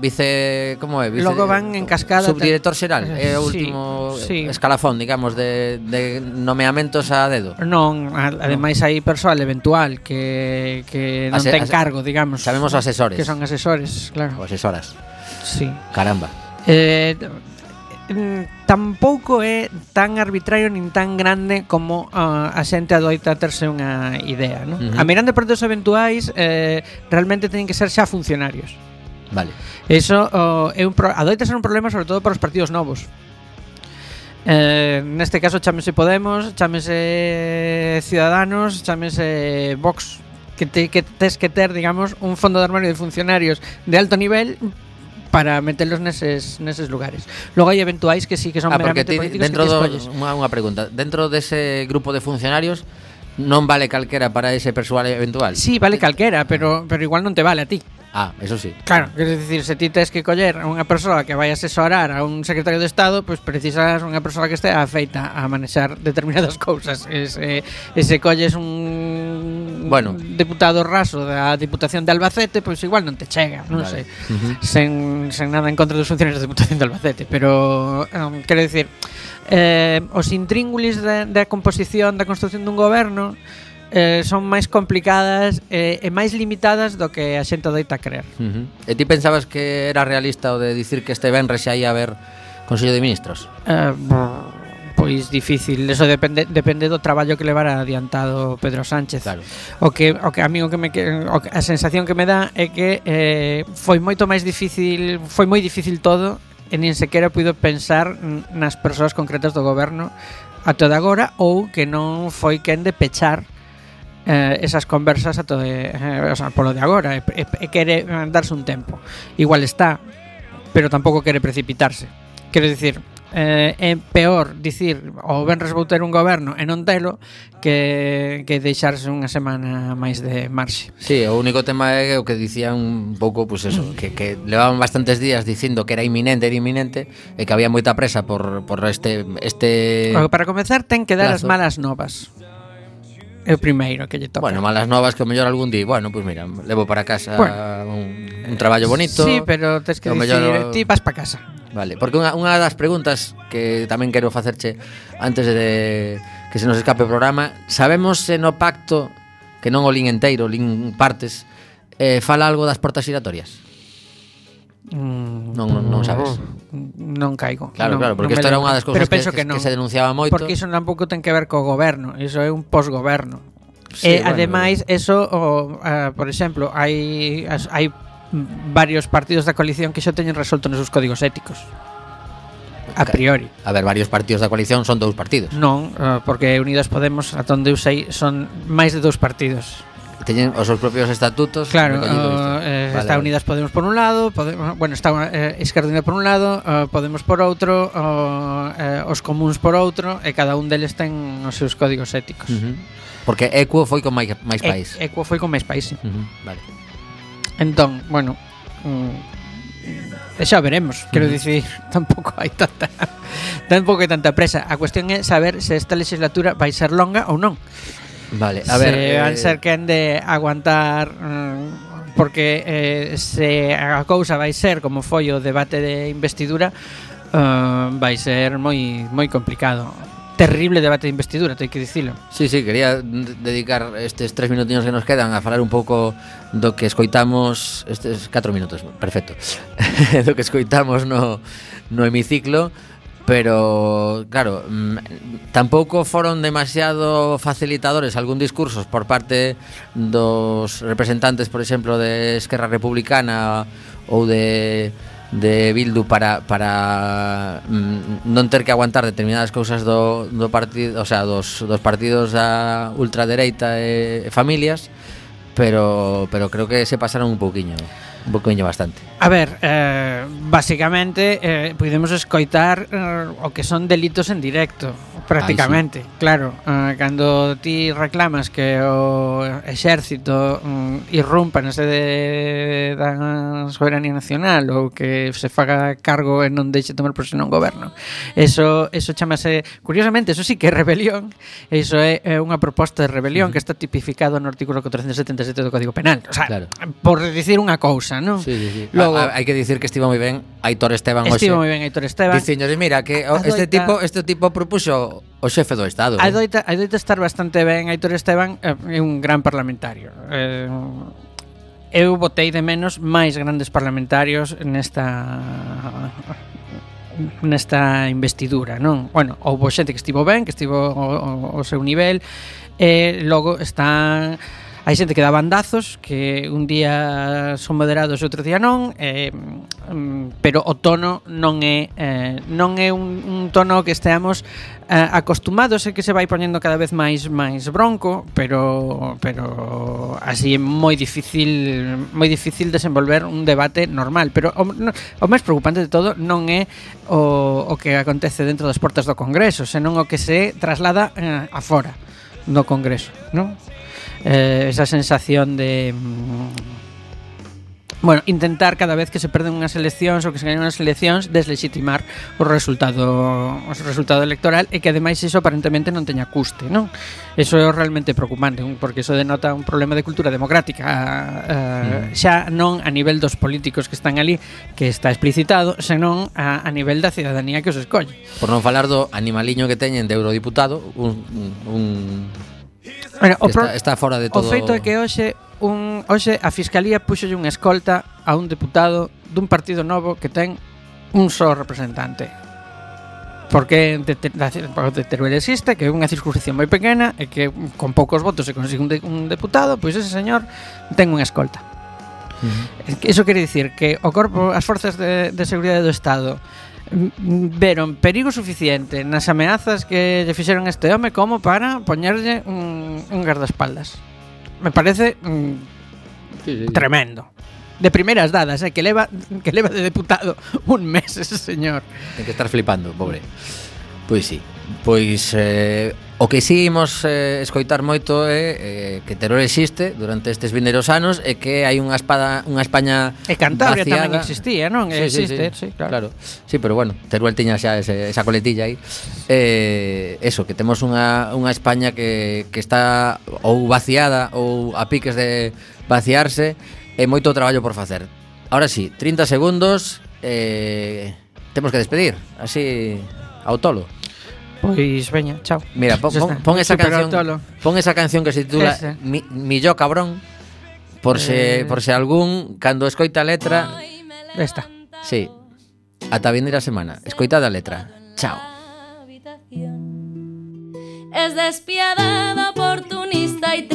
vice, como é? Logo van en cascada. Subdirector xeral, é o Sí, último sí. escalafón, digamos, de nomeamentos a dedo. Non, ademais hai persoal eventual que non ten cargo, digamos. Sabemos asesores. Que son asesores, claro. Ou asesoras. Sí. Caramba. Tampouco é tan arbitrario nin tan grande como a xente adoita terse unha idea, non? A mirando por dos eventuais realmente teñen que ser xa funcionarios. Vale. Eso é adoita ser un problema sobre todo para os partidos novos. Neste caso chámese Podemos, chámese Ciudadanos, chámese Vox, que tes que ter, digamos, un fondo de armario de funcionarios de alto nivel para metelos neses lugares. Logo hai eventuais que sí que son meramente políticos dentro que escolles. unha pregunta, dentro dese grupo de funcionarios non vale calquera para ese persoal eventual? Sí, vale calquera, pero igual non te vale a ti. Ah, eso sí. Claro, quer dicir, se ti tes que coller a unha persoa que vai asesorar a un secretario de Estado, pois precisas unha persoa que estea afeita a manexar determinadas cousas. Se colles un deputado raso da Diputación de Albacete, pois igual non te chega, non sei. Sen nada en contra dos funcionarios da Diputación de Albacete, pero quero dicir, os intríngulis da composición, da construción dun goberno son máis complicadas e máis limitadas do que a xente adoita creer. E ti pensabas que era realista o de dicir que este venres xa ia haber Consello de Ministros? Pois difícil, eso depende do traballo que levara adiantado Pedro Sánchez. Claro. O que a mí a sensación que me dá é que foi moi difícil todo e nin sequera puido pensar nas persoas concretas do goberno ata de agora, ou que non foi quen de pechar esas conversas o sea, polo de agora e quere darse un tempo. Igual está, pero tampouco quere precipitarse. Quero dicir, é peor dicir o venres vou ter un goberno e non telo que deixarse unha semana máis de marxe. Sí, o único tema é o que dicían un pouco, pues eso, que levaban bastantes días dicindo que era inminente e que había moita presa por este Para comezar ten que dar plazo. As malas novas. É o primeiro que lle toca. Bueno, malas novas que o mellor algún día, bueno, pues mira, levo para casa un traballo bonito. Sí, pero tes que dicir, ti vas para casa. Vale, porque unha das preguntas que tamén quero facerche antes de que se nos escape o programa, sabemos se no pacto, que non o lin enteiro, lin partes, fala algo das portas giratorias? Non sabes. Non caigo. Claro, porque isto era unha das cousas que se denunciaba moito. Porque iso tampouco ten que ver co goberno, iso é un posgoberno. Sí, ademais, eso, por exemplo, hai varios partidos da coalición que xa teñen resolto nos seus códigos éticos. A priori. A ver, varios partidos da coalición son 2 partidos. Non, porque Unidas Podemos, ata onde eu sei, son máis de 2 partidos. Teñen os seus propios estatutos. Claro, está Unidas Podemos por un lado, está Esquerda Unida por un lado, Podemos por outro, os comuns por outro, e cada un deles ten os seus códigos éticos. Porque Equo foi con máis país. Equo foi con máis país, sí. Vale. Entón, bueno, xa veremos, quero dicir, tampouco hai tanta presa. A cuestión é saber se esta legislatura vai ser longa ou non. Vale, a ver, se van ser quen de aguantar porque se a cousa vai ser como foi o debate de investidura, vai ser moi complicado. Terrible debate de investidura, teño que dicilo. Sí, quería dedicar estes 3 minutiños que nos quedan a falar un pouco do que escoitamos, estes 4 minutos, perfecto. Do que escoitamos no hemiciclo. Pero, claro, tampouco foron demasiado facilitadores algún discursos por parte dos representantes, por exemplo, de Esquerra Republicana ou de Bildu para non ter que aguantar determinadas cousas do partido, o sea, dos partidos da ultradereita e familias, pero creo que se pasaron un pouquiño. Un poquinho bastante. A ver, básicamente podemos escoitar o que son delitos en directo, prácticamente. Claro, cando ti reclamas que o exército irrumpa na sede da soberanía nacional ou que se faga cargo e non deixe tomar posesión un goberno, eso chamase, curiosamente, eso sí que é rebelión. Eso é unha proposta de rebelión que está tipificado no artículo 477 do Código Penal. O sea, Claro. por dicir unha cousa, non? Sí. Logo, Hai que dicir que estivo moi ben Aitor Esteban estivo moi ben Aitor Esteban. Diciños, mira, que este tipo propuxo o xefe do Estado. Adoita estar bastante ben Aitor Esteban, é un gran parlamentario. Eu botei de menos máis grandes parlamentarios nesta investidura, non? Bueno, houbo xente que estivo ben, que estivo ao seu nivel, e logo están... Hai xente que dá bandazos, que un día son moderados e outro día non, pero o tono non é un tono que esteamos acostumados e que se vai poñendo cada vez máis bronco, pero así é moi difícil desenvolver un debate normal. Pero o máis preocupante de todo non é o que acontece dentro das portas do Congreso, senón o que se traslada afora do Congreso, non? Esa sensación de intentar cada vez que se perden unhas eleccións ou que se gañan unhas eleccións deslegitimar o resultado electoral, e que ademais iso aparentemente non teña custe, non? Eso é realmente preocupante, porque iso denota un problema de cultura democrática, xa non a nivel dos políticos que están ali, que está explicitado, senón a nivel da cidadanía que os escolle. Por non falar do animaliño que teñen de eurodiputado, Bueno, está fora de todo. O feito é que hoxe a Fiscalía puxolle unha escolta a un deputado dun partido novo que ten un só representante. Porque de Teruel existe, que é unha circunscripción moi pequena e que con poucos votos se consigue un deputado, pois ese señor ten unha escolta. Iso quere dicir que o corpo, as forzas de seguridade do Estado veron perigo suficiente nas ameazas que lle fixeron este home como para poñerlle un guardaespaldas. Me parece tremendo. De primeiras dadas, que leva de deputado un mes ese señor. Ten que estar flipando, pobre. Pois sí. Pois o que si imos escoitar moito é que Teruel existe durante estes vindeiros anos e que hai unha España e Cantabria vaciada. Tamén existía, non? Existe, sí, claro. Sí, pero bueno, Teruel tiña xa esa coletilla aí. Eso, que temos unha España que está ou vaciada ou a piques de vaciarse, e moito traballo por facer. Ahora sí, 30 segundos, temos que despedir, así ao tolo. Pois veña, chao. Mira, pon esa canción que se titula Milló cabrón, por se algún cando escoita a letra. Esta. Sí. Ata a vindeira semana. Escoitade a letra. Chao. Es despiadada, oportunista y